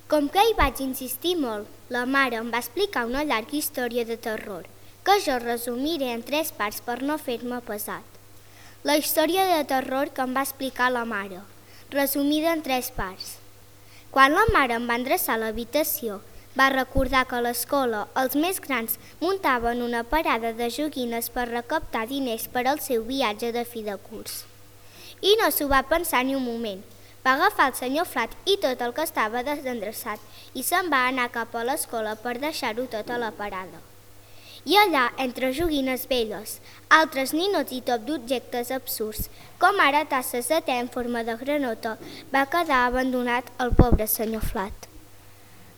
Com que hi vaig insistir molt, la mare em va explicar una llarga història de terror, que jo resumiré en 3 parts per no fer-me pesat. La història de terror que em va explicar la mare, resumida en 3 parts. Quan la mare em va endreçar a l'habitació, va recordar que a l'escola els més grans muntaven una parada de joguines per recaptar diners per al seu viatge de fi de curs. I no s'ho va pensar ni un moment. Va agafar el senyor Flat i tot el que estava desendreçat i se'n va anar cap a l'escola per deixar-ho tot a la parada. I allà, entre joguines velles, altres ninots i tot d'objectes absurds, com ara tasses de te en forma de granota, va quedar abandonat el pobre senyor Flat.